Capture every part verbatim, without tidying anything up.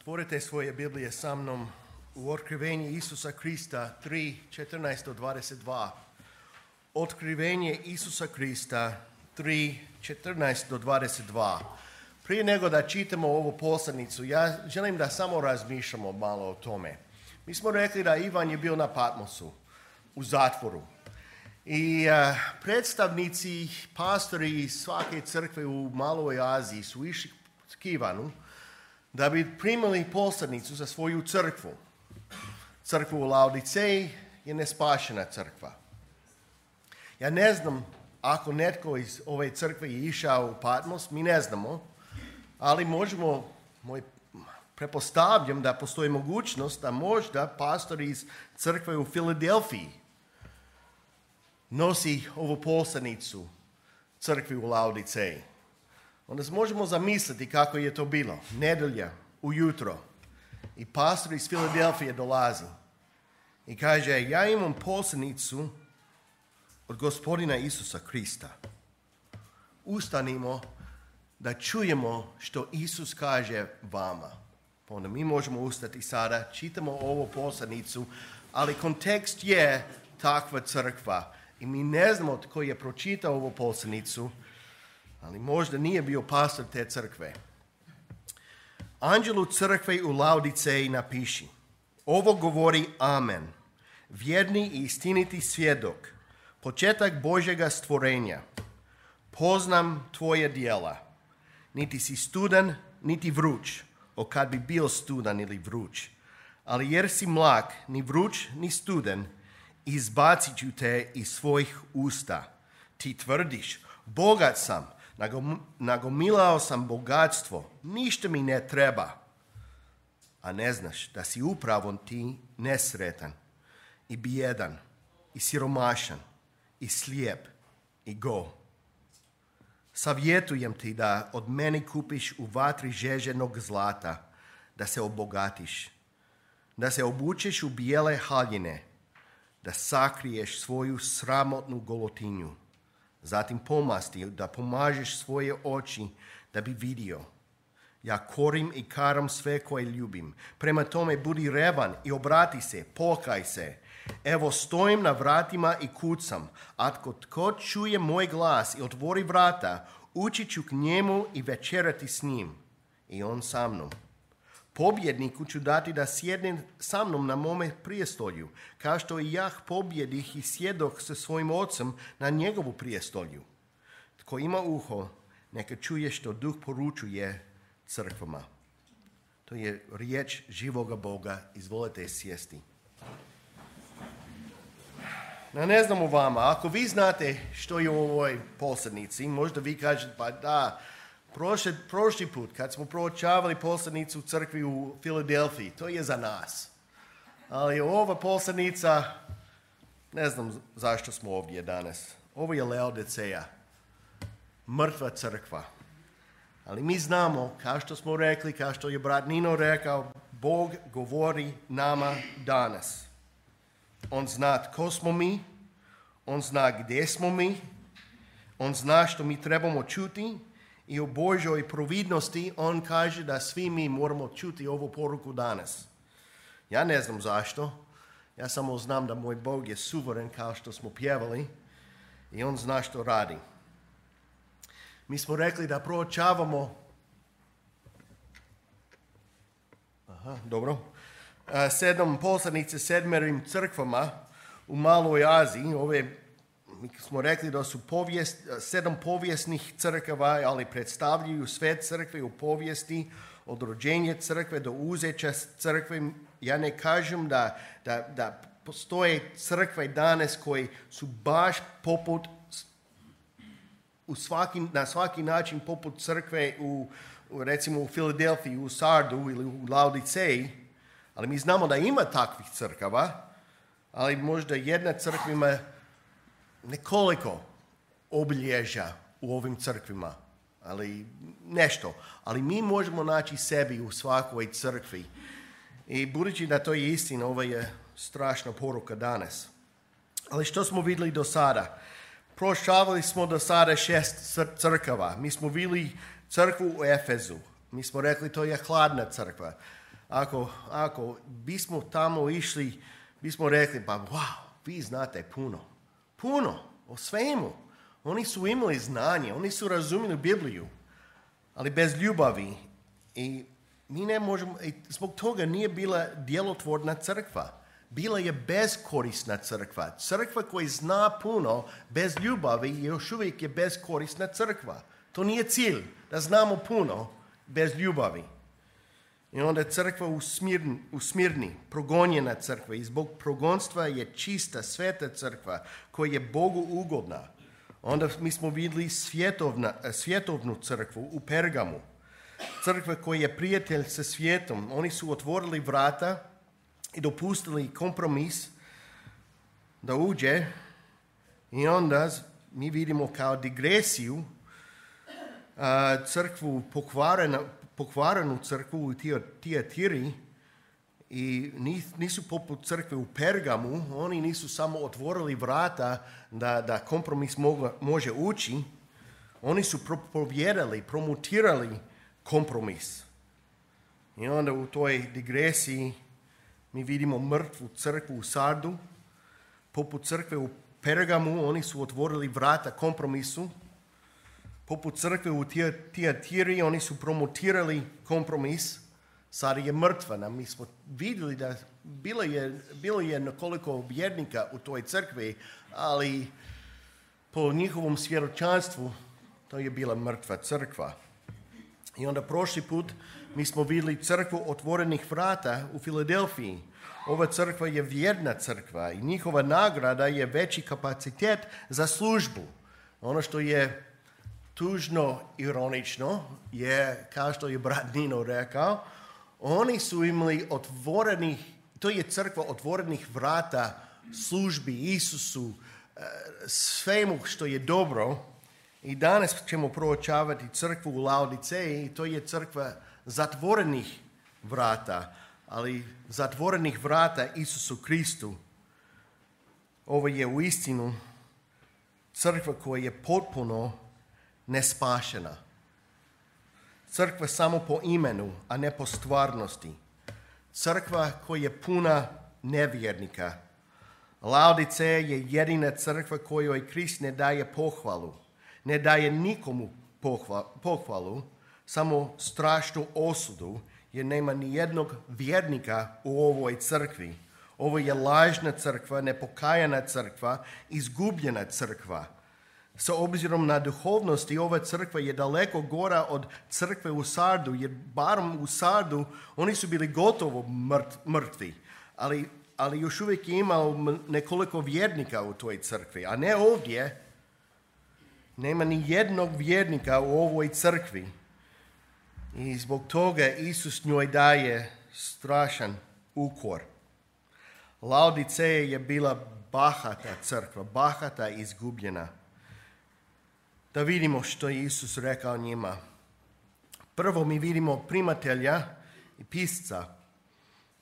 Otvorite svoje Biblije sa mnom u Otkrivenje Isusa Krista tri, četrnaest do dvadeset dva. Otkrivenje Isusa Krista tri, četrnaest do dvadeset dva. Prije nego da čitamo ovu poslanicu, ja želim da samo razmišljamo malo o tome. Mi smo rekli da Ivan je bio na Patmosu, u zatvoru. I uh, predstavnici, pastori iz svake crkve u Maloj Aziji su išli k Ivanu da bi primili poslanicu za svoju crkvu. Crkva u Laodiceji je nespašena crkva. Ja ne znam ako netko iz ove crkve je išao u Patmos, mi ne znamo, ali možemo, moj, prepostavljam da postoji mogućnost da možda pastor iz crkve u Filadelfiji nosi ovu poslanicu crkvi u Laodiceji. Onda možemo zamisliti kako je to bilo. Nedelja, ujutro. I pastor iz Filadelfije dolazi. I kaže, ja imam poslanicu od gospodina Isusa Krista. Ustanimo da čujemo što Isus kaže vama. Onda mi možemo ustati sada, čitamo ovu poslanicu, ali kontekst je takva crkva. I mi ne znamo tko je pročitao ovu poslanicu, ali možda nije bio pastor te crkve. Anđelu crkve u Laodiceji napiši: ovo govori Amen, vjerni i istiniti svjedok, početak Božjega stvorenja. Poznam tvoje djela. Niti si studan, niti vruć, o kad bi bio studan ili vruć. Ali jer si mlak, ni vruć, ni studan, izbacit ću te iz svojih usta. Ti tvrdiš, bogat sam, nagomilao sam bogatstvo, ništa mi ne treba. A ne znaš da si upravo ti nesretan i bijedan i siromašan i slijep i go. Savjetujem ti da od mene kupiš u vatri žeženog zlata, da se obogatiš, da se obučeš u bijele haljine, da sakriješ svoju sramotnu golotinju. Zatim pomasti da pomažeš svoje oči da bi vidio. Ja korim i karam sve koje ljubim. Prema tome budi revan i obrati se, pokaj se. Evo stojim na vratima i kucam. Ako tko čuje moj glas i otvori vrata, ući ću k njemu i večerati s njim. I on sa mnom. Pobjedniku ću dati da sjedne sa mnom na mome prijestolju, kao što i ja pobjedih i sjedoh sa svojim ocem na njegovu prijestolju. Tko ima uho, neka čuje što Duh poručuje crkvama. To je riječ živoga Boga. Izvolite sjesti. Ja ne znam o vama, ako vi znate što je u ovoj poslanici, možda vi kažete, pa da, Prošli, prošli put, kad smo proučavali poslanicu u crkvi u Filadelfiji, to je za nas. Ali ova poslanica, ne znam zašto smo ovdje danas. Ovo je Laodiceja, mrtva crkva. Ali mi znamo, kao što smo rekli, kao što je brat Nino rekao, Bog govori nama danas. On zna tko smo mi, on zna gdje smo mi, on zna što mi trebamo čuti. I u Božoj providnosti on kaže da svi mi moramo čuti ovu poruku danas. Ja ne znam zašto. Ja samo znam da moj Bog je suveren kao što smo pjevali i on zna što radi. Mi smo rekli da proučavamo Aha, dobro. sedam poslanice sedmerim crkvama u Maloj Aziji. Ove Mi smo rekli da su povijest, sedam povijesnih crkava, ali predstavljaju sve crkve u povijesti, od rođenja crkve do uzeća crkve. Ja ne kažem da, da, da postoje crkve danas koji su baš poput, u svaki, na svaki način poput crkve u, recimo u Filadelfiji, u Sardu ili u Laodiceji, ali mi znamo da ima takvih crkava, ali možda jedna crkva ima nekoliko obilježja u ovim crkvima, ali nešto. Ali mi možemo naći sebi u svakoj crkvi. I budući da to je istina, ovo je strašna poruka danas. Ali što smo vidjeli do sada? Proučavali smo do sada šest crkava. Mi smo vidjeli crkvu u Efezu. Mi smo rekli to je hladna crkva. ako, ako bismo tamo išli, bismo rekli, pa wow, vi znate puno. Puno, o svemu. Oni su imali znanje, oni su razumjeli Bibliju, ali bez ljubavi. I mi ne možemo, i zbog toga nije bila djelotvorna crkva. Bila je beskorisna crkva. Crkva koja zna puno bez ljubavi još uvijek je beskorisna crkva. To nije cilj, da znamo puno bez ljubavi. I onda crkva u Smirni, u Smirni progonjena crkva i zbog progonstva je čista, sveta crkva koja je Bogu ugodna. Onda mi smo vidjeli svjetovna, svjetovnu crkvu u Pergamu. Crkva koja je prijatelj sa svijetom. Oni su otvorili vrata i dopustili kompromis da uđe i onda mi vidimo kao digresiju crkvu pokvarenu, pokvarenu crkvu u Tijatiri i nisu poput crkve u Pergamu, oni nisu samo otvorili vrata da, da kompromis moga, može ući, oni su propovijedali, promotirali kompromis. I onda u toj digresiji mi vidimo mrtvu crkvu u Sardu, poput crkve u Pergamu, oni su otvorili vrata kompromisu, poput crkve u Tijatiri, oni su promotirali kompromis, sad je mrtva. Mi smo vidjeli da bilo je, bilo je nekoliko vjernika u toj crkvi, ali po njihovom svjedočanstvu to je bila mrtva crkva. I onda prošli put mi smo vidjeli crkvu otvorenih vrata u Filadelfiji. Ova crkva je vjerna crkva i njihova nagrada je veći kapacitet za službu. Ono što je tužno, ironično je, kao što je brat Nino rekao, oni su imali otvorenih, to je crkva otvorenih vrata službi Isusu, svemu što je dobro. I danas ćemo proučavati crkvu u Laodiceji i to je crkva zatvorenih vrata, ali zatvorenih vrata Isusu Kristu. Ovo je uistinu crkva koja je potpuno nespašena. Crkva samo po imenu, a ne po stvarnosti. Crkva koja je puna nevjernika. Laodiceja je jedina crkva kojoj Krist ne daje pohvalu. Ne daje nikomu pohvalu, samo strašnu osudu, jer nema ni jednog vjernika u ovoj crkvi. Ovo je lažna crkva, nepokajana crkva, izgubljena crkva. Sa obzirom na duhovnosti, ova crkva je daleko gora od crkve u Sardu, jer barem u Sardu oni su bili gotovo mrtvi, ali, ali još uvijek je imao nekoliko vjernika u toj crkvi, a ne ovdje. Nema ni jednog vjernika u ovoj crkvi. I zbog toga Isus njoj daje strašan ukor. Laodiceja je bila bahata crkva, bahata i izgubljena. Da vidimo što je Isus rekao njima. Prvo mi vidimo primatelja i pisca.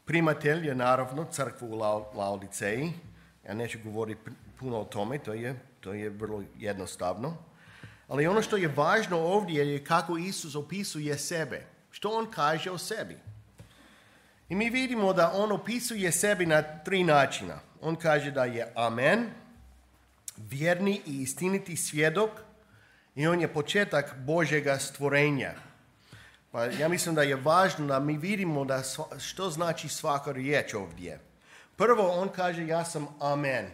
Primatelj je naravno crkva u Laodiceji. Ja neću govoriti puno o tome, to je, to je vrlo jednostavno. Ali ono što je važno ovdje je kako Isus opisuje sebe. Što on kaže o sebi. I mi vidimo da on opisuje sebi na tri načina. On kaže da je amen, vjerni i istiniti svjedok, i on je početak Božjega stvorenja. Pa ja mislim da je važno da mi vidimo da što znači svaka riječ ovdje. Prvo on kaže ja sam amen.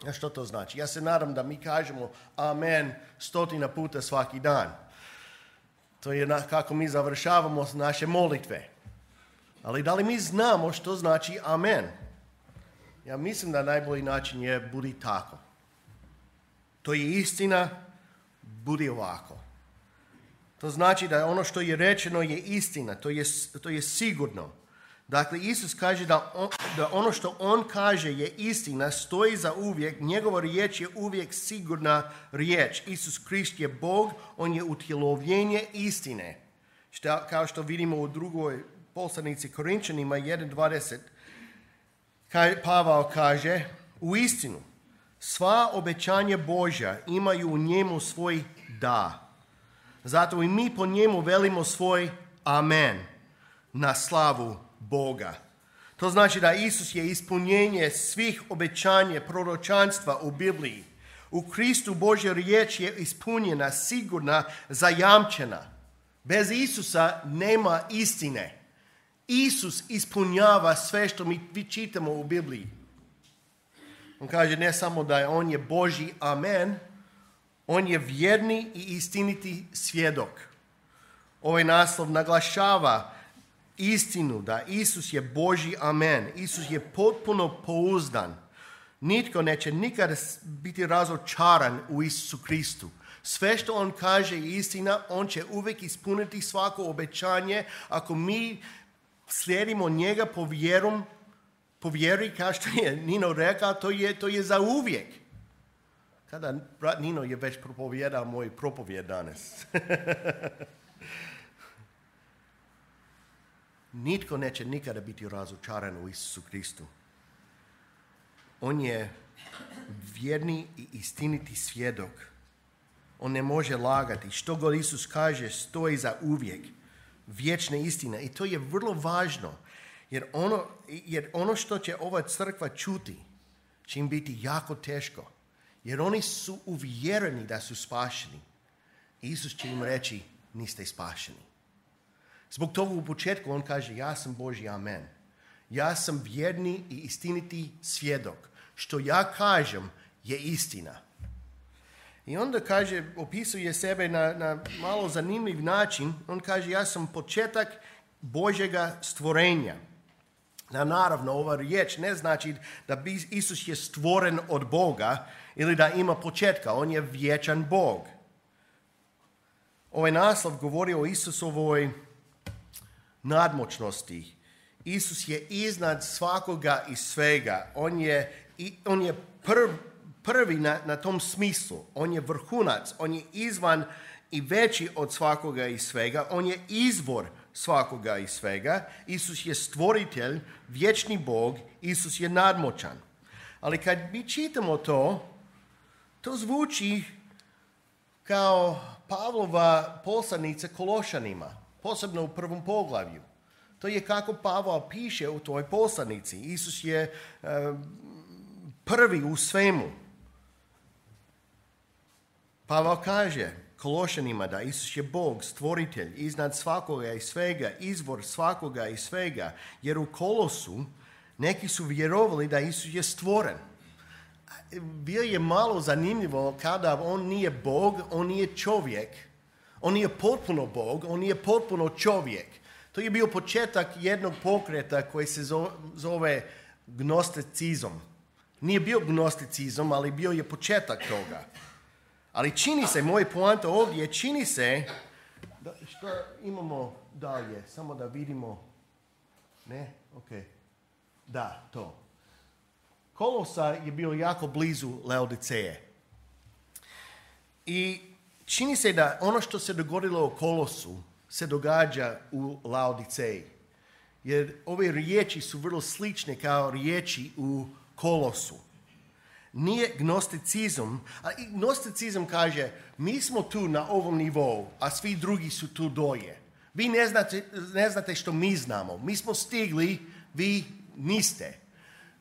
A što to znači? Ja se nadam da mi kažemo amen stotina puta svaki dan. To je na, kako mi završavamo naše molitve. Ali da li mi znamo što znači amen? Ja mislim da najbolji način je budi tako. To je istina, budi ovako. To znači da ono što je rečeno je istina, to je, to je sigurno. Dakle, Isus kaže da, on, da ono što on kaže je istina, stoji za uvijek, njegova riječ je uvijek sigurna riječ. Isus Krist je Bog, on je utjelovljenje istine. Šta, kao što vidimo u drugoj poslanici Korinčanima jedan dvadeset, Pavao kaže, u istinu, sva obećanja Božja imaju u njemu svoj da. Zato i mi po njemu velimo svoj amen. na slavu Boga. To znači da Isus je ispunjenje svih obećanja proročanstva u Bibliji. U Kristu Božja riječ je ispunjena, sigurna, zajamčena. Bez Isusa nema istine. Isus ispunjava sve što mi čitamo u Bibliji. On kaže ne samo da je on je Božji amen, on je vjerni i istiniti svjedok. Ovaj naslov naglašava istinu da Isus je Božji amen. Isus je potpuno pouzdan. Nitko neće nikada biti razočaran u Isusu Kristu. Sve što on kaže je istina, on će uvijek ispuniti svako obećanje ako mi slijedimo njega po vjerom, po vjeri, kao što je Nino rekao, to je, to je za uvijek. Kada brat Nino je već propovjedao moj propovjed danas. Nitko neće nikada biti razočaran u Isusu Kristu. On je vjerni i istiniti svjedok. On ne može lagati. Što god Isus kaže stoji za uvijek. Vječna istina. I to je vrlo važno. Jer ono, jer ono što će ova crkva čuti će im biti jako teško. Jer oni su uvjereni da su spašeni. Isus će im reći niste spašeni. Zbog toga u početku on kaže ja sam Božji amen. Ja sam vjerni i istiniti svjedok. Što ja kažem je istina. I onda kaže, opisuje sebe na, na malo zanimljiv način. On kaže ja sam početak Božjega stvorenja. Na, naravno, ova riječ ne znači da Isus je stvoren od Boga ili da ima početka. On je vječan Bog. Ovaj naslov govori o Isusovoj nadmoćnosti. Isus je iznad svakoga i svega. On je, on je prv, prvi na, na tom smislu. On je vrhunac. On je izvan i veći od svakoga i svega. On je izvor svakoga i svega. Isus je stvoritelj, vječni Bog. Isus je nadmoćan. Ali kad mi čitamo to, to zvuči kao Pavlova poslanica Kološanima, posebno u prvom poglavlju. To je kako Pavao piše u toj poslanici. Isus je uh, prvi u svemu. Pavao kaže Kološanima da Isus je Bog, stvoritelj, iznad svakoga i svega, izvor svakoga i svega. Jer u Kolosu neki su vjerovali da Isus je stvoren. Bio je malo zanimljivo kada on nije Bog, on nije čovjek. On nije potpuno Bog, on nije potpuno čovjek. To je bio početak jednog pokreta koji se zove gnosticizam. Nije bio gnosticizam, ali bio je početak toga. Ali čini se, moj poanta ovdje, čini se, da, što imamo dalje, samo da vidimo, ne, ok, da, to. Kolosa je bio jako blizu Laodiceje. I čini se da ono što se dogodilo u Kolosu se događa u Laodiceji. Jer ove riječi su vrlo slične kao riječi u Kolosu. Nije gnosticizam, a gnosticizam kaže mi smo tu na ovom nivou, a svi drugi su tu dolje. Vi ne znate, ne znate što mi znamo. Mi smo stigli, vi niste.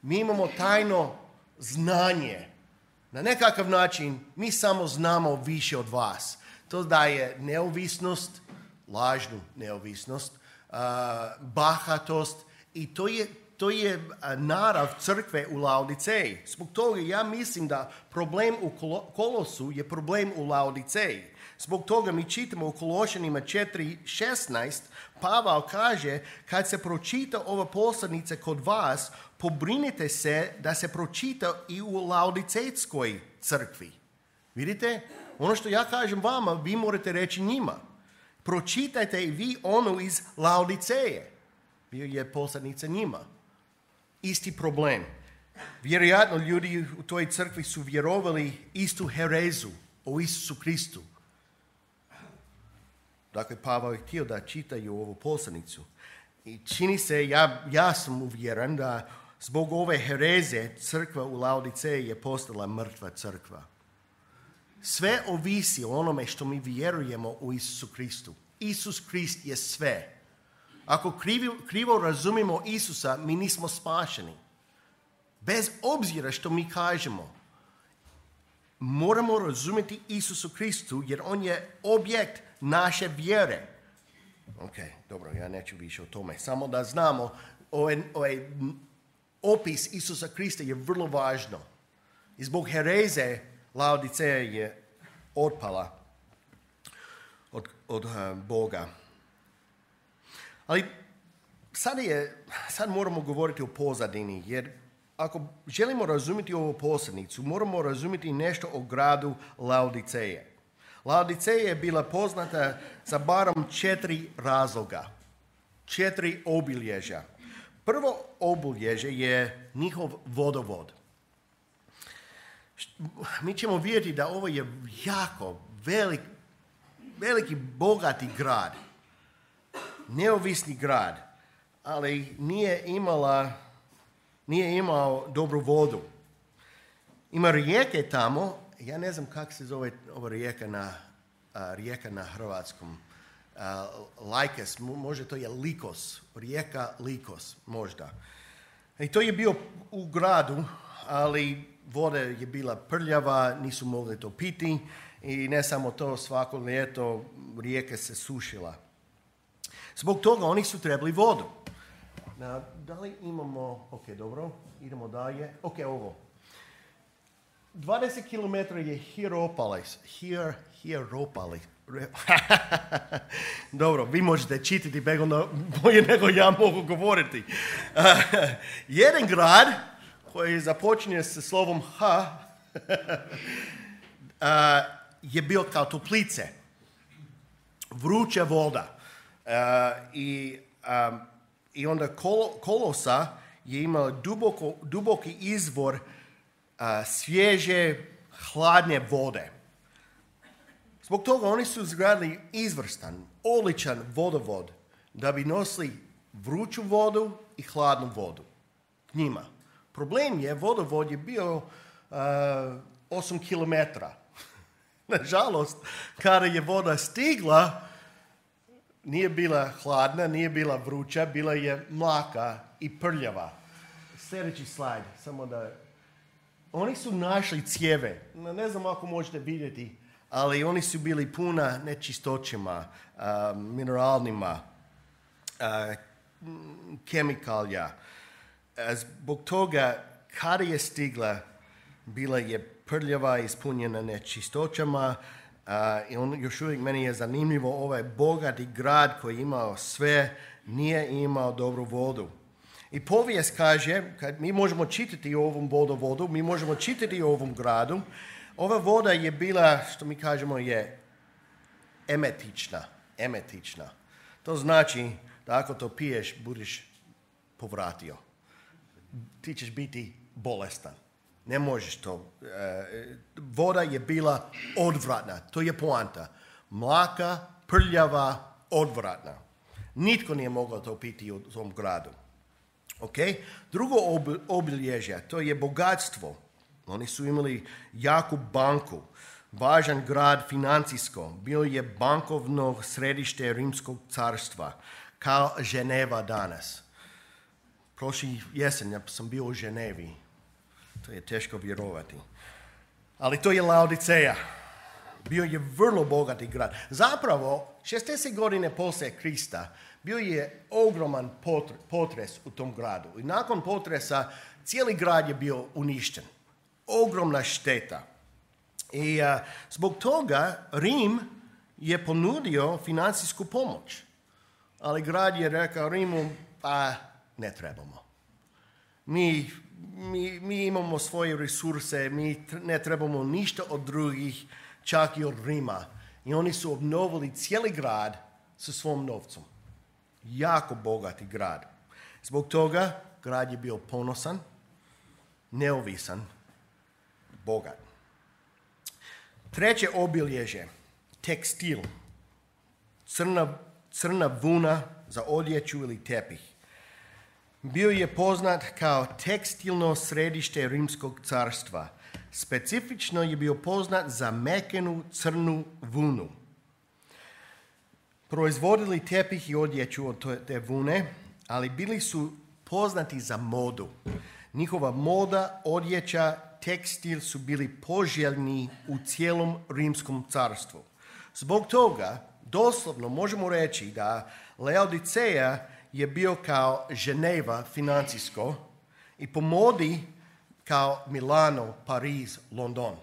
Mi imamo tajno znanje. Na nekakav način mi samo znamo više od vas. To daje neovisnost, lažnu neovisnost, uh, bahatost i to je, to je narav crkve u Laodiceji. Zbog toga ja mislim da problem u Kolosu je problem u Laodiceji. Zbog toga mi čitamo u Kološanima četiri šesnaest, Pavao kaže kad se pročita ova poslanica kod vas, pobrinite se da se pročita i u Laodicejskoj crkvi. Vidite? Ono što ja kažem vama, vi morate reći njima. Pročitajte i vi ono iz Laodiceje. Bio je poslanica njima. Isti problem. Vjerojatno ljudi u toj crkvi su vjerovali istu herezu o Isusu Kristu. Dakle, Pavao je htio da čitaju ovu poslanicu. I čini se, ja, ja sam uvjeren da zbog ove hereze crkva u Laodiceji je postala mrtva crkva. Sve ovisi o onome što mi vjerujemo u Isusu Kristu. Isus Krist je sve. Ako krivo, krivo razumimo Isusa, mi nismo spašeni. Bez obzira što mi kažemo, moramo razumjeti Isusu Kristu, jer on je objekt naše vjere. Ok, dobro, ja neću više o tome. Samo da znamo, ovaj, ovaj opis Isusa Krista je vrlo važno. I zbog hereze Laodiceja je otpala od, od uh, Boga. Ali sad, je, sad moramo govoriti o pozadini, jer ako želimo razumjeti ovu poslanicu, moramo razumjeti nešto o gradu Laodiceje. Laodiceja je bila poznata za barem četiri razloga, četiri obilježja. Prvo obilježje je njihov vodovod. Mi ćemo vidjeti da ovo je jako velik, veliki, bogati grad, neovisni grad, ali nije imala, nije imao dobru vodu. Ima rijeke tamo, ja ne znam kako se zove ova rijeka na, a, rijeka na hrvatskom. A, Lajkes, možda to je Likos, rijeka Likos, možda. I to je bio u gradu, ali voda je bila prljava, nisu mogli to piti i ne samo to, svako ljeto rijeka se sušila. Zbog toga oni su trebali vodu. Na, da li imamo, ok, dobro, idemo dalje. Ok, ovo. dvadeset kilometara je Hierapolis. Hier, Hierapolis. Dobro, vi možete čitati bolje nego ja mogu govoriti. Uh, jedan grad koji započinje sa slovom H uh, je bio kao Toplice. Vruća voda. Uh, i, um, I onda Kol- Kolosa je imao duboko, duboki izvor uh, svježe, hladne vode. Zbog toga oni su izgradili izvrstan, odličan vodovod da bi nosili vruću vodu i hladnu vodu njima. Problem je, vodovod je bio uh, osam kilometara. Nažalost, kada je voda stigla, nije bila hladna, nije bila vruća, bila je mlaka i prljava. Sljedeći slajd, samo da... Oni su našli cijeve, ne znam ako možete vidjeti, ali oni su bili puna nečistoćima, uh, mineralnima, uh, kemikalija. Zbog toga, kada je stigla, bila je prljava, ispunjena nečistoćama, uh, i on još uvijek meni je zanimljivo, ovaj bogati grad koji je imao sve, nije imao dobru vodu. I povijest kaže, kad mi možemo čitati o ovom vodovodu, mi možemo čitati o ovom gradu, ova voda je bila, što mi kažemo, je emetična. Emetična. To znači da ako to piješ, budeš povratio. Ti ćeš biti bolestan. Ne možeš to. E, voda je bila odvratna. To je poanta. Mlaka, prljava, odvratna. Nitko nije mogao to piti u tom gradu. Okay? Drugo obilježje, to je bogatstvo. Oni su imali jaku banku, važan grad financijsko, bio je bankovno središte Rimskog carstva, kao Ženeva danas. Prošli jesen ja sam bio u Ženevi, to je teško vjerovati. Ali to je Laodiceja, bio je vrlo bogati grad. Zapravo, šezdeset godine poslije Krista, bio je ogroman potres u tom gradu. I nakon potresa cijeli grad je bio uništen. Ogromna šteta. I uh, zbog toga Rim je ponudio financijsku pomoć. Ali grad je rekao Rimu, pa ne trebamo. Mi, mi, mi imamo svoje resurse, mi ne trebamo ništa od drugih, čak i od Rima. I oni su obnovili cijeli grad sa svom novcom. Jako bogati grad. Zbog toga grad je bio ponosan, neovisan, bogat. Treće obilježje, tekstil. Crna, crna vuna za odjeću ili tepih. Bio je poznat kao tekstilno središte Rimskog carstva. Specifično je bio poznat za mekenu crnu vunu. proizvodili tepih i odjeću od te vune, ali bili su poznati za modu. Njihova moda, odjeća, tekstil su bili poželjni u cijelom rimskom carstvu. Zbog toga, doslovno možemo reći da Laodiceja je bio kao Ženeva financijsko i po modi kao Milano, Pariz, London.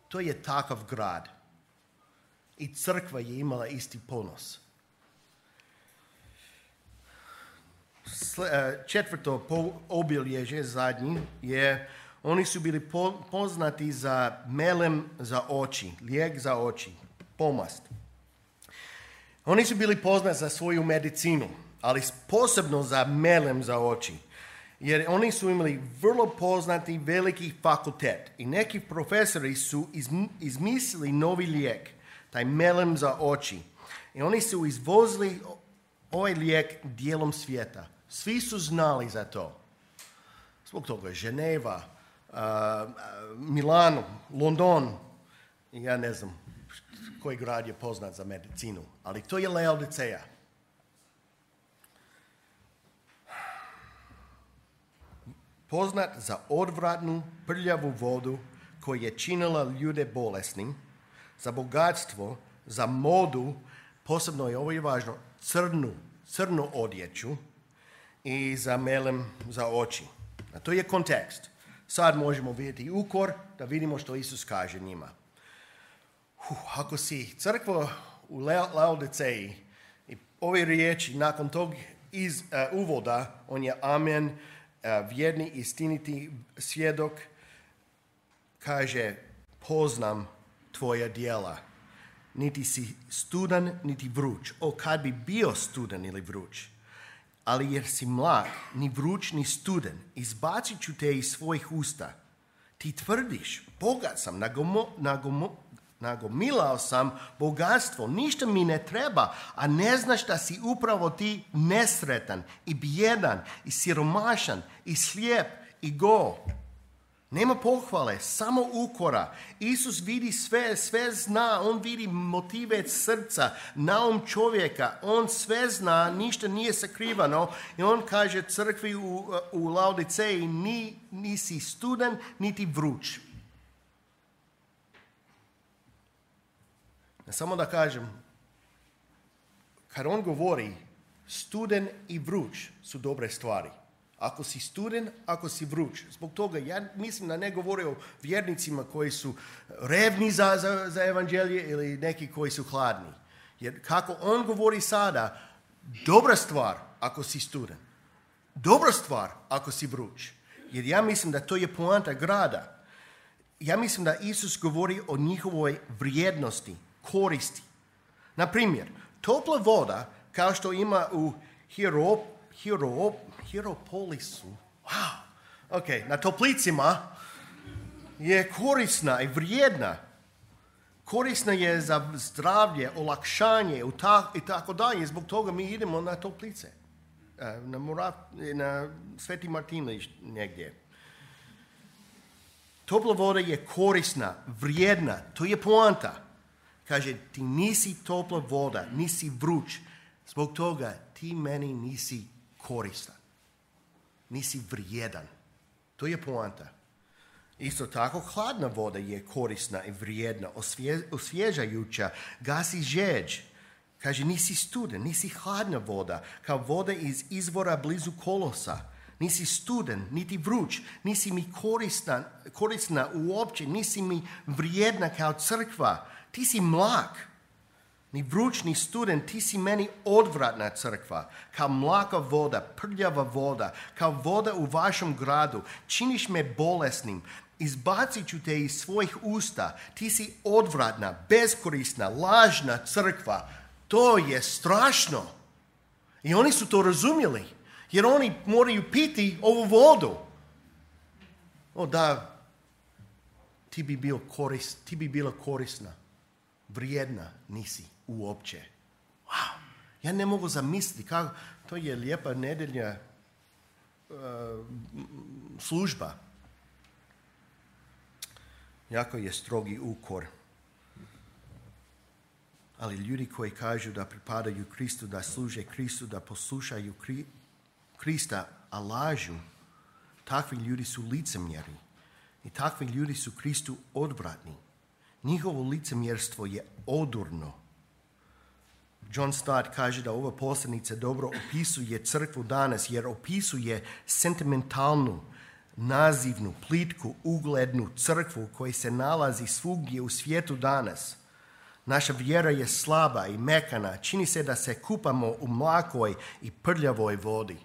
To je takav grad. I crkva je imala isti ponos. Četvrto obilježje, zadnji, je oni su bili poznati za melem za oči, lijek za oči, pomast. Oni su bili poznati za svoju medicinu, ali posebno za melem za oči. Jer oni su imali vrlo poznati veliki fakultet i neki profesori su izmislili novi lijek, taj melem za oči. I oni su izvozili ovaj lijek dijelom svijeta. Svi su znali za to. Zbog toga Ženeva, uh, Milano, London, ja ne znam koji grad je poznat za medicinu, ali to je Laodiceja. Poznat za odvratnu, prljavu vodu koja je činila ljude bolesnim, za bogatstvo, za modu, posebno je ovo je važno, crnu, crnu odjeću i za melem za oči. A to je kontekst. Sad možemo vidjeti ukor da vidimo što Isus kaže njima. Uf, ako si crkva u Laodiceji i ove riječi nakon tog iz, uh, uvoda, on je amen, uh, vjerni, istiniti svjedok, kaže, poznam tvoja djela. Niti si studan, niti vruć. O, kad bi bio studan ili vruć. Ali jer si mlak, ni vruć, ni studen, izbacit ću te iz svojih usta. Ti tvrdiš, bogat sam, nagomo, nagomo, nagomilao sam bogatstvo, ništa mi ne treba, a ne znaš da si upravo ti nesretan i bijedan i siromašan i slijep i go. Nema pohvale, samo ukora. Isus vidi sve, sve zna, on vidi motive srca, naum čovjeka, on sve zna, ništa nije sakrivano i on kaže crkvi u, u Laodiceji, ni, nisi studen, niti vruć. Samo da kažem, kad on govori studen i vruć su dobre stvari. Ako si studen, ako si vruć. Zbog toga ja mislim da ne govori o vjernicima koji su revni za, za, za evanđelje ili neki koji su hladni. Jer kako on govori sada, dobra stvar ako si studen. Dobra stvar ako si vruć. Jer ja mislim da to je poanta grada. Ja mislim da Isus govori o njihovoj vrijednosti, koristi. Na primjer, topla voda, kao što ima u Hierop, Hierop, Hieropolisu, wow, ok, na toplicima je korisna i vrijedna. Korisna je za zdravlje, olakšanje i tako dalje. Zbog toga mi idemo na toplice. Na, Morat, na Sveti Martinović negdje. Topla voda je korisna, vrijedna. To je poanta. Kaže, ti nisi topla voda, nisi vruć. Zbog toga ti meni nisi koristan. Nisi vrijedan. To je poanta. Isto tako, hladna voda je korisna i vrijedna, osvje, osvježajuća, gasi žeđ. Kaže, nisi studen, nisi hladna voda, kao voda iz izvora blizu kolosa. Nisi studen, niti vruć, nisi mi korisna, korisna uopće, nisi mi vrijedna kao crkva. Ti si mlak. Ni vruć, ni studen, ti si meni odvratna crkva, kao mlaka voda, prljava voda, kao voda u vašem gradu. Činiš me bolesnim, izbacit ću te iz svojih usta. Ti si odvratna, beskorisna, lažna crkva. To je strašno. I oni su to razumjeli, jer oni moraju piti ovu vodu. O da, ti bi, bio koris, ti bi bila korisna, vrijedna nisi uopće. Wow. Ja ne mogu zamisliti kako to je lijepa nedelja uh, služba. Jako je strogi ukor. Ali ljudi koji kažu da pripadaju Kristu, da služe Kristu, da poslušaju Kri- Krista, a lažu, takvi ljudi su licemjeri. I takvi ljudi su Kristu odvratni. Njihovo licemjerstvo je odurno. John Stott kaže da ova poslanica dobro opisuje crkvu danas, jer opisuje sentimentalnu, nazivnu, plitku, uglednu crkvu koja se nalazi svugdje u svijetu danas. Naša vjera je slaba i mekana. Čini se da se kupamo u mlakoj i prljavoj vodi.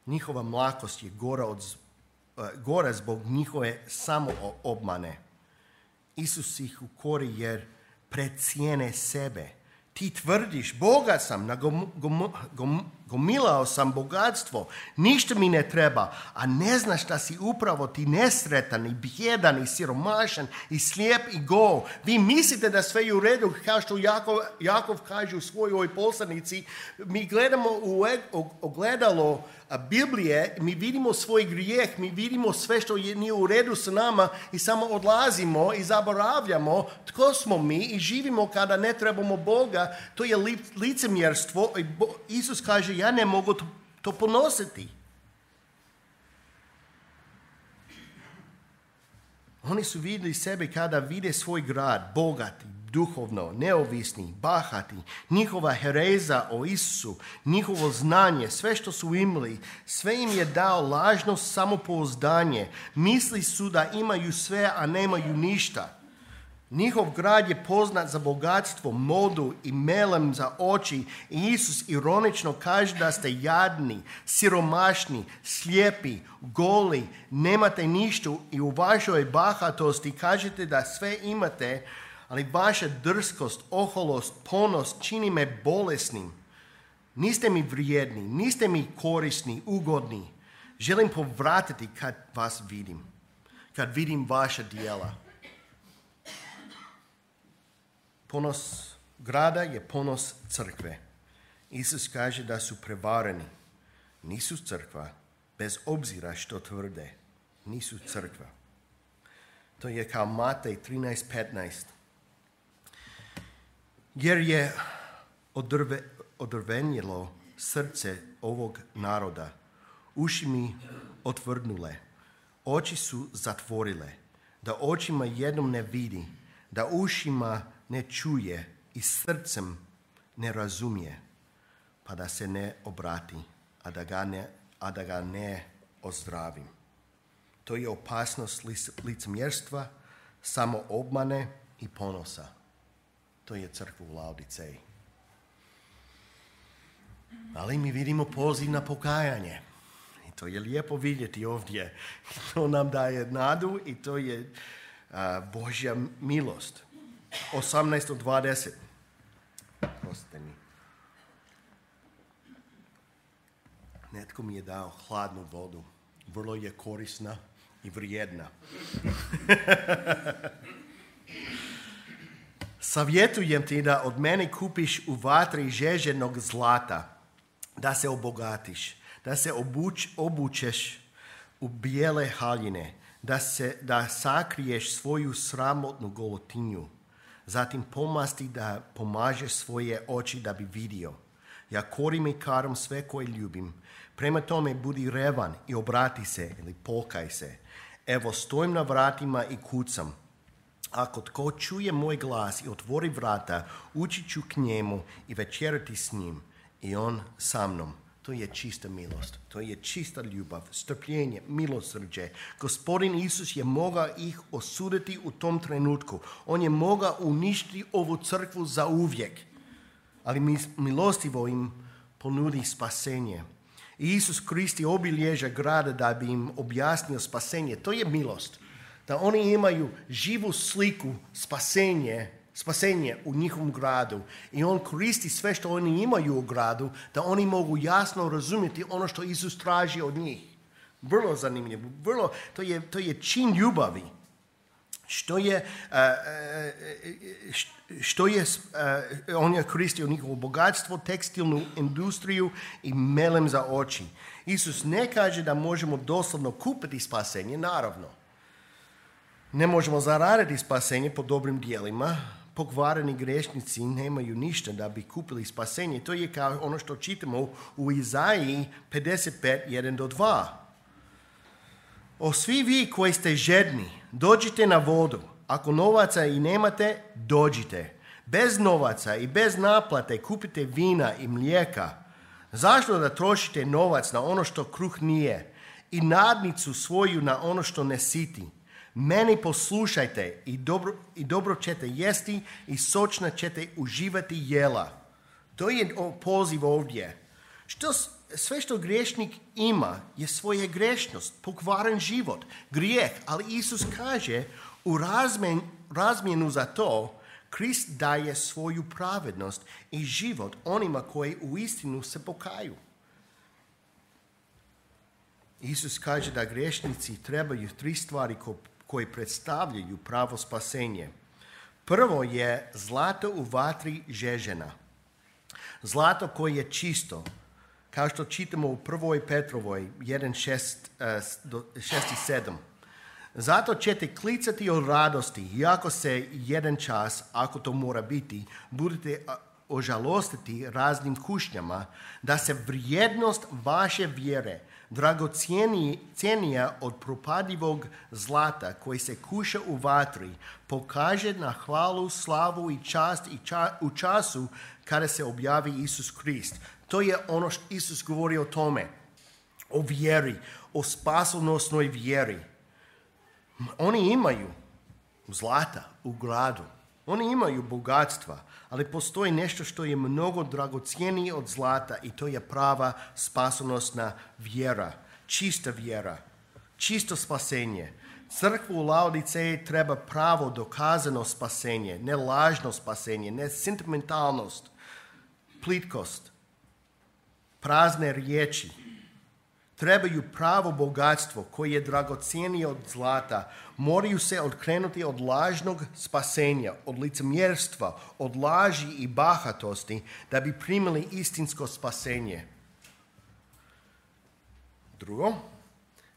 Njihova mlakost je gora, od, gora zbog njihove samoobmane. Isus ih ukori jer precijene sebe. Ti tvrdiš, bogat sam, nagom, gom, gom, gomilao sam bogatstvo, ništa mi ne treba, a ne znaš da si upravo ti nesretan i bjedan i siromašan i slijep i go. Vi mislite da sve je u redu, kao što Jakov, Jakov kaže u svojoj poslanici. Mi gledamo u ogledalo Biblije, mi vidimo svoj grijeh, mi vidimo sve što je nije u redu sa nama i samo odlazimo i zaboravljamo tko smo mi i živimo kada ne trebamo Boga. To je licemjerstvo. Isus kaže, ja ne mogu to, to ponositi. Oni su vidjeli sebe kada vide svoj grad, bogati, duhovno, neovisni, bahati, njihova hereza o Isusu, njihovo znanje, sve što su imali, sve im je dao lažno samopouzdanje. Misli su da imaju sve, a nemaju ništa. Njihov grad je poznat za bogatstvo, modu i melem za oči i Isus ironično kaže da ste jadni, siromašni, slijepi, goli, nemate ništa i u vašoj bahatosti kažete da sve imate, ali vaša drskost, oholost, ponos čini me bolesnim. Niste mi vrijedni, niste mi korisni, ugodni. Želim povratiti kad vas vidim, kad vidim vaša djela. Ponos grada je ponos crkve. Isus kaže da su prevareni. Nisu crkva, bez obzira što tvrde. Nisu crkva. To je kao Matej trinaest petnaest. Jer je odrve, odrvenjelo srce ovog naroda. Uši mi otvrdnule. Oči su zatvorile. Da očima jednom ne vidi. Da ušima ne čuje i srcem ne razumije, pa da se ne obrati, a da ga ne, a da ga ne ozdravim. To je opasnost licemjerstva, samoobmane i ponosa. To je crkva u Laodiceji. Ali mi vidimo poziv na pokajanje. I to je lijepo vidjeti ovdje. To nam daje nadu i to je uh, Božja milost. osamnaest od dvadeset. Prostite mi. Netko mi je dao hladnu vodu. Vrlo je korisna i vrijedna. Savjetujem ti da od mene kupiš u vatri žeženog zlata, da se obogatiš, da se obuč, obučeš u bijele haljine, da, se, da sakriješ svoju sramotnu golotinju. Zatim pomasti da pomažeš svoje oči da bi vidio. Ja korim i karam sve koje ljubim. Prema tome budi revan i obrati se ili pokaj se. Evo stojim na vratima i kucam. Ako tko čuje moj glas i otvori vrata, ući ću k njemu i večerati s njim i on sa mnom. To je čista milost, to je čista ljubav, strpljenje, milosrđe. Gospodin Isus je mogao ih osuditi u tom trenutku. On je mogao uništiti ovu crkvu za uvijek, ali milostivo im ponudi spasenje. I Isus koristi obilježja grada da bi im objasnio spasenje. To je milost. Da oni imaju živu sliku spasenje, spasenje u njihovom gradu. I on koristi sve što oni imaju u gradu da oni mogu jasno razumjeti ono što Isus traži od njih. Vrlo zanimljivo. Vrlo, to, je, to je čin ljubavi. Što je, uh, što je uh, on je koristio njihovo bogatstvo, tekstilnu industriju i melem za oči. Isus ne kaže da možemo doslovno kupiti spasenje, naravno. Ne možemo zaraditi spasenje po dobrim dijelima. Pokvareni grešnici nemaju ništa da bi kupili spasenje. To je kao ono što čitamo u Izaiji pedeset pet, jedan do dva. O svi vi koji ste žedni, dođite na vodu. Ako novaca i nemate, dođite. Bez novaca i bez naplate kupite vina i mlijeka. Zašto da trošite novac na ono što kruh nije i nadnicu svoju na ono što ne siti? Meni poslušajte i dobro, i dobro ćete jesti i sočno ćete uživati jela. To je poziv ovdje. Što, sve što griješnik ima je svoja grešnost, pokvaren život, grijeh. Ali Isus kaže u razmjen, razmjenu za to Krist daje svoju pravednost i život onima koji u istinu se pokaju. Isus kaže da grešnici trebaju tri stvari koje predstavljaju pravo spasenje. Prvo je zlato u vatri žežena. Zlato koje je čisto, kao što čitamo u prvoj Petrovoj jedan šest i sedam. Zato ćete klicati od radosti, iako se jedan čas, ako to mora biti, budete ožalostiti raznim kušnjama, da se vrijednost vaše vjere dragocjenija od propadljivog zlata koji se kuša u vatri, pokaže na hvalu, slavu i čast i ča, u času kada se objavi Isus Krist. To je ono što Isus govori o tome, o vjeri, o spasonosnoj vjeri. Oni imaju zlata u gradu, oni imaju bogatstva, ali postoji nešto što je mnogo dragocjenije od zlata i to je prava spasonosna vjera, čista vjera, čisto spasenje. Crkvu u Laodiceji treba pravo dokazano spasenje, ne lažno spasenje, ne sentimentalnost, plitkost, prazne riječi. Trebaju pravo bogatstvo koje je dragocjenije od zlata. Moraju se odkrenuti od lažnog spasenja, od licemjerstva, od laži i bahatosti da bi primili istinsko spasenje. Drugo,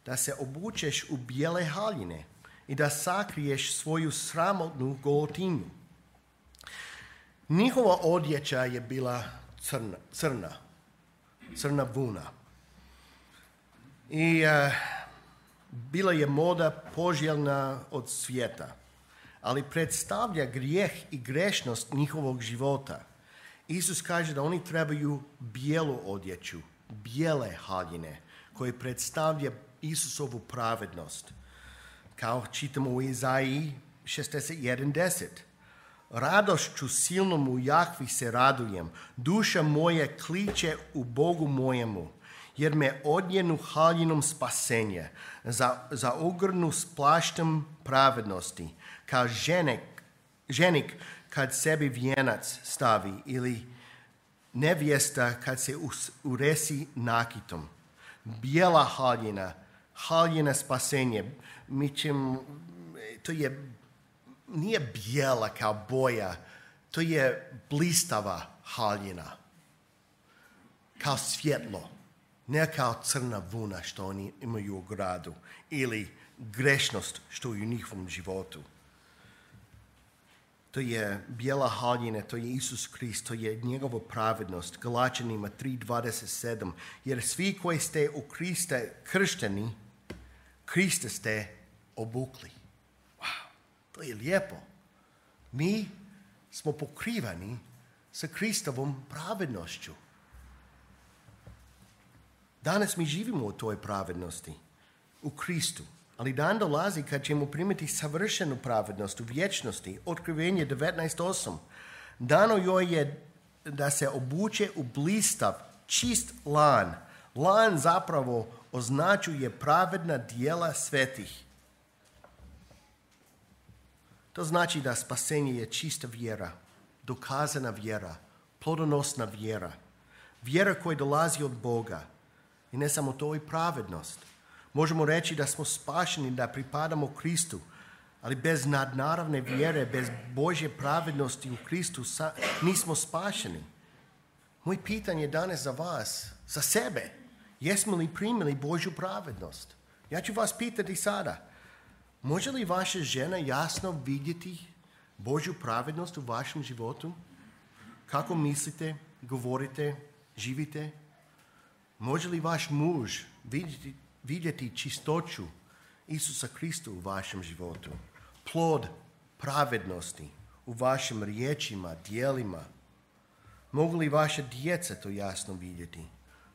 da se obučeš u bijele haljine i da sakriješ svoju sramotnu golotinju. Njihova odjeća je bila crna, crna, crna vuna. I uh, bila je moda poželjna od svijeta, ali predstavlja grijeh i grešnost njihovog života. Isus kaže da oni trebaju bijelu odjeću, bijele haljine, koje predstavlja Isusovu pravednost. Kao čitamo u Izaiji šezdeset jedan deset. Radošću silnom u Jahvi se radujem, duša moja kliče u Bogu mojemu, jer me odjenu haljinom spasenje, za, za ogrnu s plaštem pravednosti, kao ženik, ženik kad sebi vijenac stavi ili nevjesta kad se us, uresi nakitom. Bijela haljina, haljina spasenje, mi ćemo, to je, nije bijela kao boja, to je blistava haljina, kao svjetlo. Ne kao crna vuna što oni imaju u gradu ili grešnost što je u njihovom životu. To je bijela haljina, to je Isus Krist, to je njegova pravednost. Galačanima tri dvadeset sedam. Jer svi koji ste u Krista kršteni, Krista ste obukli. Wow, to je lijepo. Mi smo pokrivani sa Kristovom pravednošću. Danas mi živimo u toj pravednosti, u Kristu, ali dan dolazi kad ćemo primiti savršenu pravednost u vječnosti, Otkrivenje devetnaest osam. Dano joj je da se obuče u blistav, čist lan. Lan zapravo označuje pravedna djela svetih. To znači da spasenje je čista vjera, dokazana vjera, plodonosna vjera, vjera koja dolazi od Boga. I ne samo to, i pravednost. Možemo reći da smo spašeni, da pripadamo Kristu, ali bez nadnaravne vjere, bez Božje pravednosti u Kristu nismo spašeni. Moje pitanje danas za vas, za sebe, jesmo li primili Božju pravednost? Ja ću vas pitati sada, Može li vaša žena jasno vidjeti Božju pravednost u vašem životu? Kako mislite, govorite, živite? Može li vaš muž vidjeti, vidjeti čistoću Isusa Krista u vašem životu? Plod pravednosti u vašim riječima, djelima? Mogu li vaša djeca to jasno vidjeti?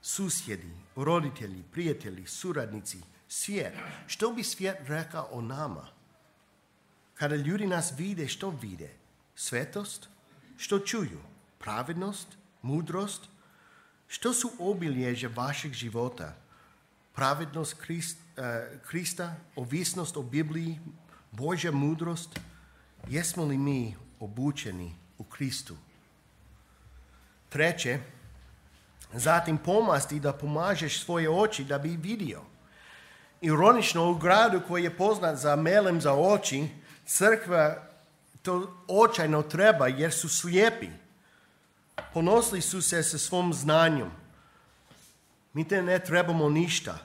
Susjedi, roditelji, prijatelji, suradnici, svijet. Što bi svijet rekao o nama? Kada ljudi nas vide, što vide? Svetost? Što čuju? Pravednost? Mudrost? Što su obilježja vašeg života? Pravednost Krist, uh, Krista, ovisnost o Bibliji, Božja mudrost? Jesmo li mi obučeni u Kristu? Treće, zatim pomasti da pomažeš svoje oči da bi vidio. Ironično, u gradu koji je poznat za melem za oči, crkva to očajno treba jer su slijepi. Ponosili su se sa svom znanjem. Mi te ne trebamo ništa,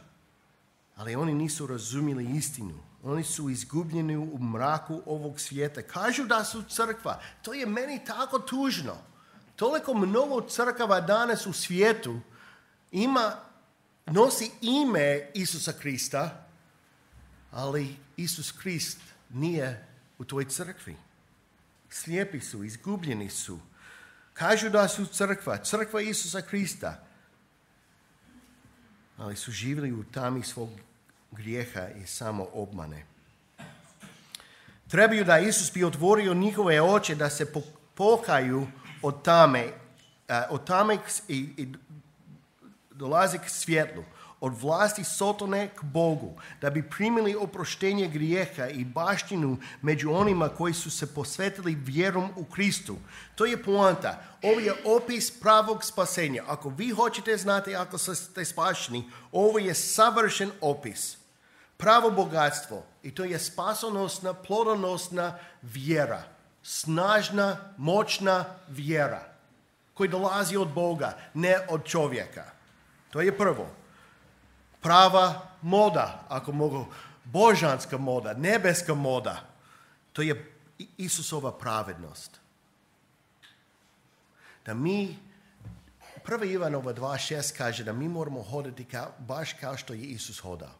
ali oni nisu razumjeli istinu. Oni su izgubljeni u mraku ovog svijeta. Kažu da su crkva. To je meni tako tužno. Toliko mnogo crkava danas u svijetu ima, nosi ime Isusa Krista, ali Isus Krist nije u toj crkvi. Slijepi su, izgubljeni su. Kažu da su crkva, crkva Isusa Krista, ali su živjeli u tami svog grijeha i samo obmane. Trebaju da Isus bi otvorio njihove oči da se pokaju od tame, od tame i, i dolazi k svjetlu, od vlasti Sotone k Bogu, da bi primili oproštenje grijeha i baštinu među onima koji su se posvetili vjerom u Kristu. To je poanta. Ovo je opis pravog spasenja. Ako vi hoćete znati ako ste spašeni, ovo je savršen opis. Pravo bogatstvo. I to je spasonosna, plodonosna vjera. Snažna, moćna vjera koja dolazi od Boga, ne od čovjeka. To je prvo. Prava moda, ako mogu, božanska moda, nebeska moda. To je Isusova pravednost. Da mi, prva Ivanova dva šest kaže da mi moramo hodati kao, baš kao što je Isus hodao.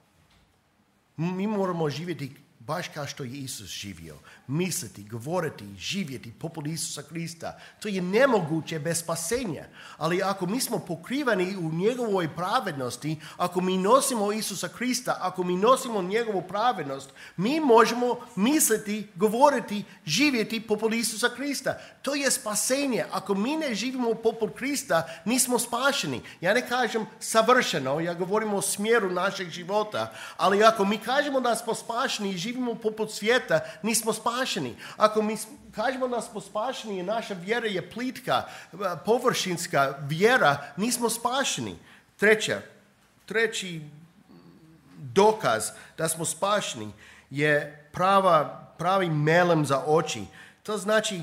Mi moramo živjeti baš kao što je Isus živio. Misliti, govoriti, živjeti poput Isusa Krista. To je nemoguće bez spasenja. Ali ako mi smo pokrivani u njegovoj pravednosti, ako mi nosimo Isusa Krista, ako mi nosimo njegovu pravednost, mi možemo misliti, govoriti, živjeti poput Isusa Krista. To je spasenje. Ako mi ne živimo poput Krista, nismo spašeni. Ja ne kažem savršeno, ja govorim o smjeru našeg života, ali ako mi kažemo da smo spašeni i živimo poput svijeta, nismo spašeni. Ako mi kažemo da smo spašeni i naša vjera je plitka, površinska vjera, nismo spašeni. Treća, treći dokaz da smo spašeni je prava, pravi melem za oči. To znači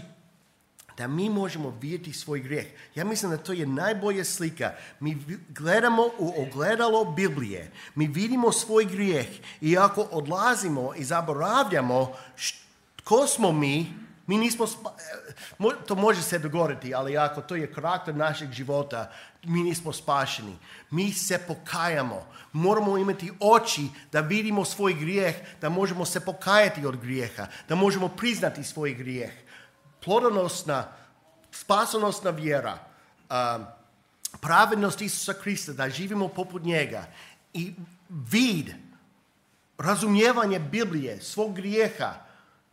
da mi možemo vidjeti svoj grijeh. Ja mislim da to je najbolja slika. Mi gledamo u ogledalo Biblije. Mi vidimo svoj grijeh. I ako odlazimo i zaboravljamo ko smo mi, mi nismo spa... to može se dogoditi, ali ako to je karakter našeg života, mi nismo spašeni. Mi se pokajamo. Moramo imati oči da vidimo svoj grijeh, da možemo se pokajati od grijeha, da možemo priznati svoj grijeh. Plodonosna, spasonosna vjera, um, pravednost Isusa Krista, da živimo poput njega i vid, razumijevanje Biblije, svog grijeha,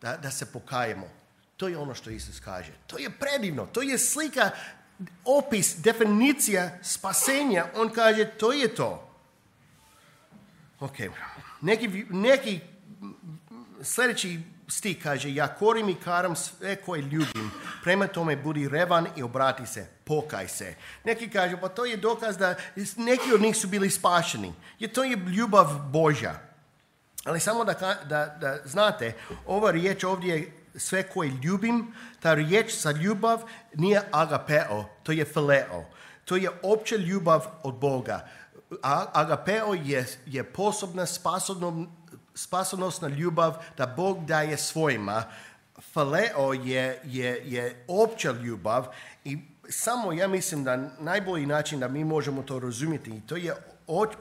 da, da se pokajemo. To je ono što Isus kaže. To je predivno, to je slika, opis, definicija spasenja. On kaže, to je to. Ok, neki, neki sljedeći stih kaže, ja korim i karam sve koje ljubim, prema tome budi revan i obrati se, pokaj se. Neki kažu, pa to je dokaz da neki od njih su bili spašeni, jer to je ljubav Božja. Ali samo da, da, da znate, ova riječ ovdje je sve koje ljubim, ta riječ za ljubav nije agapeo, to je fileo. To je opća ljubav od Boga. A, agapeo je, je posebna spasonosna spasonosna ljubav da Bog daje svojima. Phileo je, je, je opća ljubav i samo ja mislim da najbolji način da mi možemo to razumjeti, to je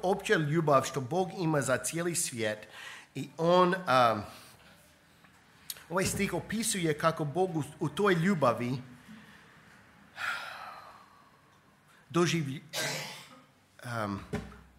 opća ljubav što Bog ima za cijeli svijet i on, um, ovaj stih opisuje kako Bog u, u toj ljubavi doživi, um,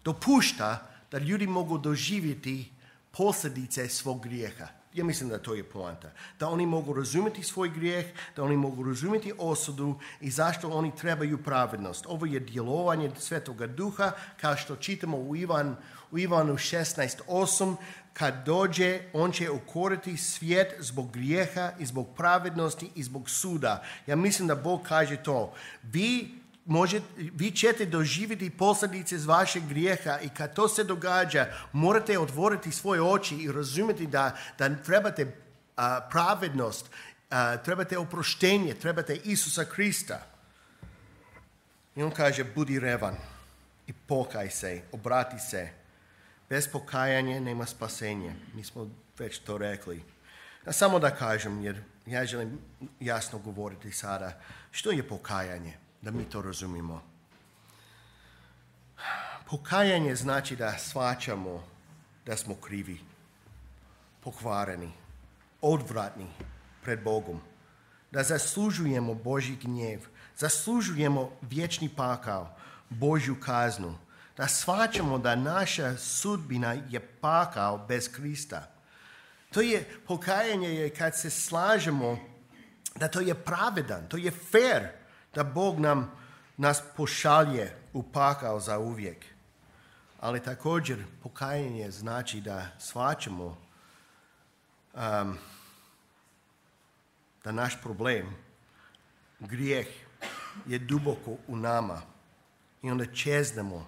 dopušta da ljudi mogu doživjeti posljedice svog grijeha. Ja mislim da to je poanta. Da oni mogu razumjeti svoj grijeh, da oni mogu razumjeti osudu i zašto oni trebaju pravednost. Ovo je djelovanje Svetoga Duha, kao što čitamo u, Ivan, u Ivanu šesnaest osam. Kad dođe, on će ukoriti svijet zbog grijeha i zbog pravednosti i zbog suda. Ja mislim da Bog kaže to. Vi Možete, vi ćete doživjeti posljedice iz vašeg grijeha i kad to se događa, morate otvoriti svoje oči i razumjeti da, da trebate uh, pravednost, uh, trebate oproštenje, trebate Isusa Krista. I on kaže, budi revan i pokaj se, obrati se. Bez pokajanja nema spasenja. Mi smo već to rekli. A samo da kažem, jer ja želim jasno govoriti sada, što je pokajanje? Da mi to razumimo. Pokajanje znači da shvaćamo da smo krivi, pokvareni, odvratni pred Bogom, da zaslužujemo Božji gnjev, zaslužujemo vječni pakao, Božju kaznu, da shvaćamo da naša sudbina je pakao bez Krista. To je pokajanje je kad se slažemo da to je pravedan, to je fair, da Bog nam, nas pošalje u pakao za uvijek. Ali također pokajanje znači da shvaćamo um, da naš problem, grijeh, je duboko u nama. I onda čeznemo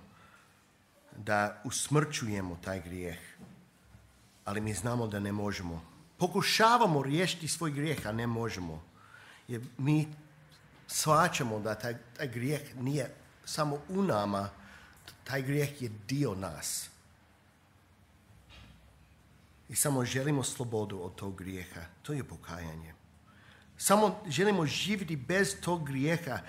da usmrćujemo taj grijeh. Ali mi znamo da ne možemo. Pokušavamo riješiti svoj grijeh, a ne možemo. Jer mi shvaćamo da taj, taj grijeh nije samo u nama, taj grijeh je dio nas. I samo želimo slobodu od tog grijeha. To je pokajanje. Samo želimo živjeti bez tog grijeha.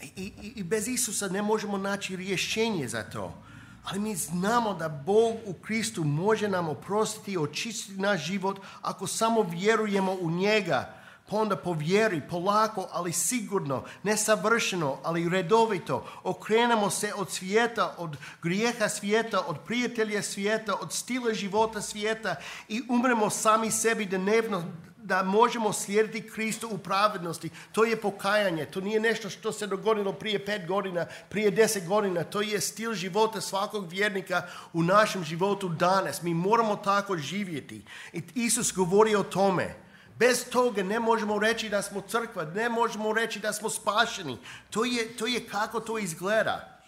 I, i, i bez Isusa ne možemo naći rješenje za to. Ali mi znamo da Bog u Kristu može nam oprostiti i očistiti naš život ako samo vjerujemo u njega. Pa onda po vjeri, polako, ali sigurno, nesavršeno, ali redovito, okrenemo se od svijeta, od grijeha svijeta, od prijatelja svijeta, od stila života svijeta i umremo sami sebi dnevno da možemo slijediti Kristu u pravednosti. To je pokajanje, to nije nešto što se dogodilo prije pet godina, prije deset godina, to je stil života svakog vjernika u našem životu danas. Mi moramo tako živjeti. I Isus govori o tome. Bez toga ne možemo reći da smo crkva, ne možemo reći da smo spašeni. To je, to je kako to izgleda.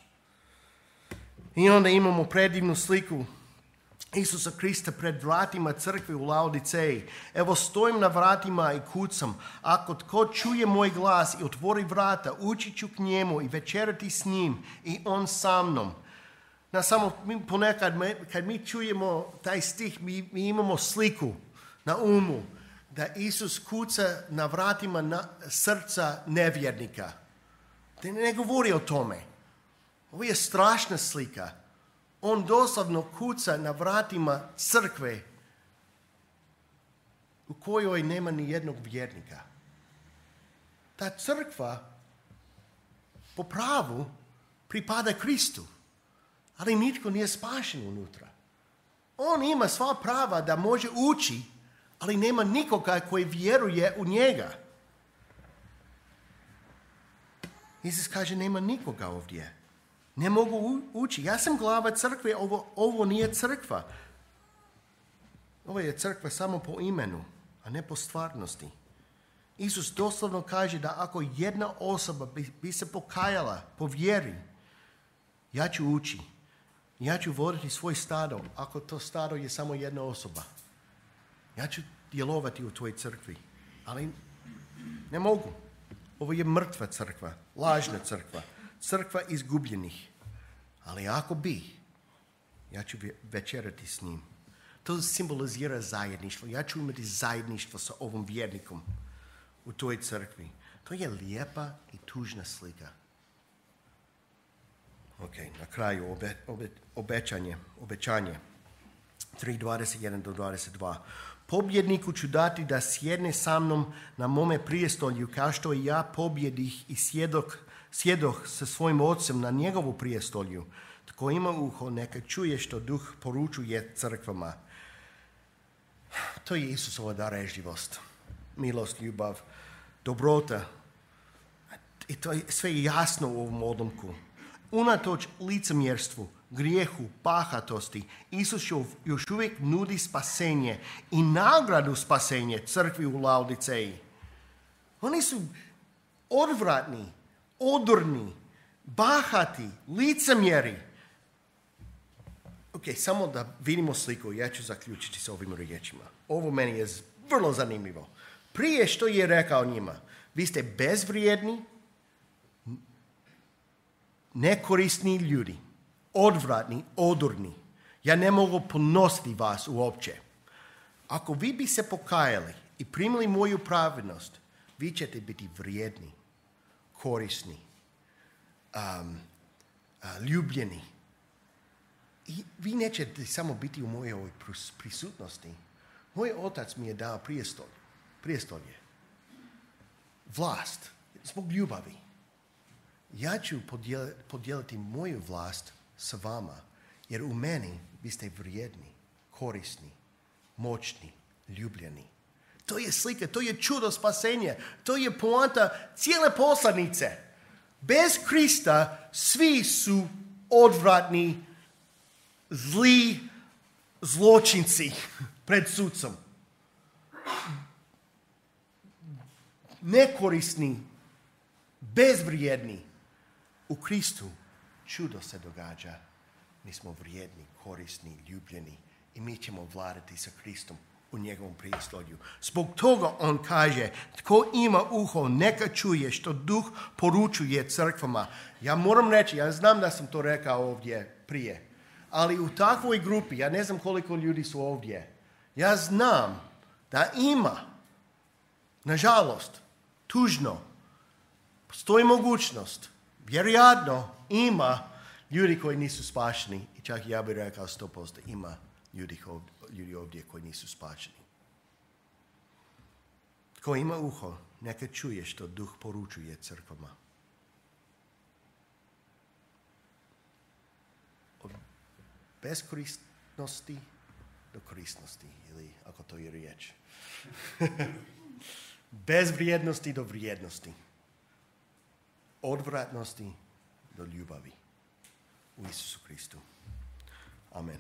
I onda imamo predivnu sliku Isusa Krista pred vratima crkve u Laodiceji. Evo stojim na vratima i kucam. Ako tko čuje moj glas i otvori vrata, ući ću k njemu i večerati s njim i on sa mnom. Na samo mi ponekad kad mi čujemo taj stih, mi, mi imamo sliku na umu. Da Isus kuca na vratima na srca nevjernika. Da ne govori o tome. Ovo je strašna slika. On doslovno kuca na vratima crkve u kojoj nema ni jednog vjernika. Ta crkva po pravu pripada Kristu, ali nitko nije spašen unutra. On ima sva prava da može ući, ali nema nikoga koji vjeruje u njega. Isus kaže, nema nikoga ovdje. Ne mogu ući. Ja sam glava crkve, ovo, ovo nije crkva. Ovo je crkva samo po imenu, a ne po stvarnosti. Isus doslovno kaže da ako jedna osoba bi, bi se pokajala po vjeri, ja ću ući. Ja ću voditi svoj stado, ako to stado je samo jedna osoba. Ja ću djelovati u tvojoj crkvi, ali ne mogu. Ovo je mrtva crkva, lažna crkva, crkva izgubljenih. Ali ako bi, ja ću večerati s njim. To simbolizira zajedništvo. Ja ću imati zajedništvo sa ovom vjernikom u toj crkvi. To je lijepa i tužna slika. Ok, na kraju obe, obe, obećanje, obećanje. tri dvadeset jedan do dvadeset dva. Pobjedniku ću dati da sjedne sa mnom na mome prijestolju, kao što i ja pobjedih i sjedok, sjedoh sa svojim ocem na njegovu prijestolju. Tko ima uho, neka čuje što duh poručuje crkvama. To je Isusova darežljivost, milost, ljubav, dobrota. I to je sve jasno u ovom odlomku. Unatoč licemjerstvu, grijehu, bahatosti, Isus još uvijek nudi spasenje i nagradu spasenje crkvi u Laodiceji. Oni su odvratni, odorni, bahati, licemjeri. Ok, samo da vidimo sliku, ja ću zaključiti s ovim riječima. Ovo meni je vrlo zanimljivo. Prije što je rekao njima, vi ste bezvrijedni, nekorisni ljudi, odvratni, odorni. Ja ne mogu ponositi vas uopće. Ako vi bi se pokajali i primili moju pravednost, vi ćete biti vrijedni, korisni, um, uh, ljubljeni. I vi nećete samo biti u mojoj prisutnosti. Moj otac mi je dao prijestolje, prijestolje, vlast, zbog ljubavi. Ja ću podijeliti moju vlast sa vama, jer u meni vi ste vrijedni, korisni, moćni, ljubljeni. To je slika, to je čudo spasenja, to je poanta cijele poslanice. Bez Krista svi su odvratni, zli zločinci pred sudcom. Nekorisni, bezvrijedni. U Kristu čudo se događa. Mi smo vrijedni, korisni, ljubljeni i mi ćemo vladati sa Kristom u njegovom prijestolju. Zbog toga on kaže, tko ima uho, neka čuje što duh poručuje crkvama. Ja moram reći, ja znam da sam to rekao ovdje prije, ali u takvoj grupi, ja ne znam koliko ljudi su ovdje, ja znam da ima, nažalost, tužno, postoji mogućnost, vjerojatno ima ljudi koji nisu spašeni i čak ja bih rekao sto posto ima ljudi, ljudi ovdje koji nisu spašeni. Tko ima uho, neka čuje što duh poručuje crkvama. Od beskorisnosti do korisnosti, ili ako to je riječ. Bez vrijednosti do vrijednosti. Odvratnosti do ljubavi u Isusu Kristu. Amen.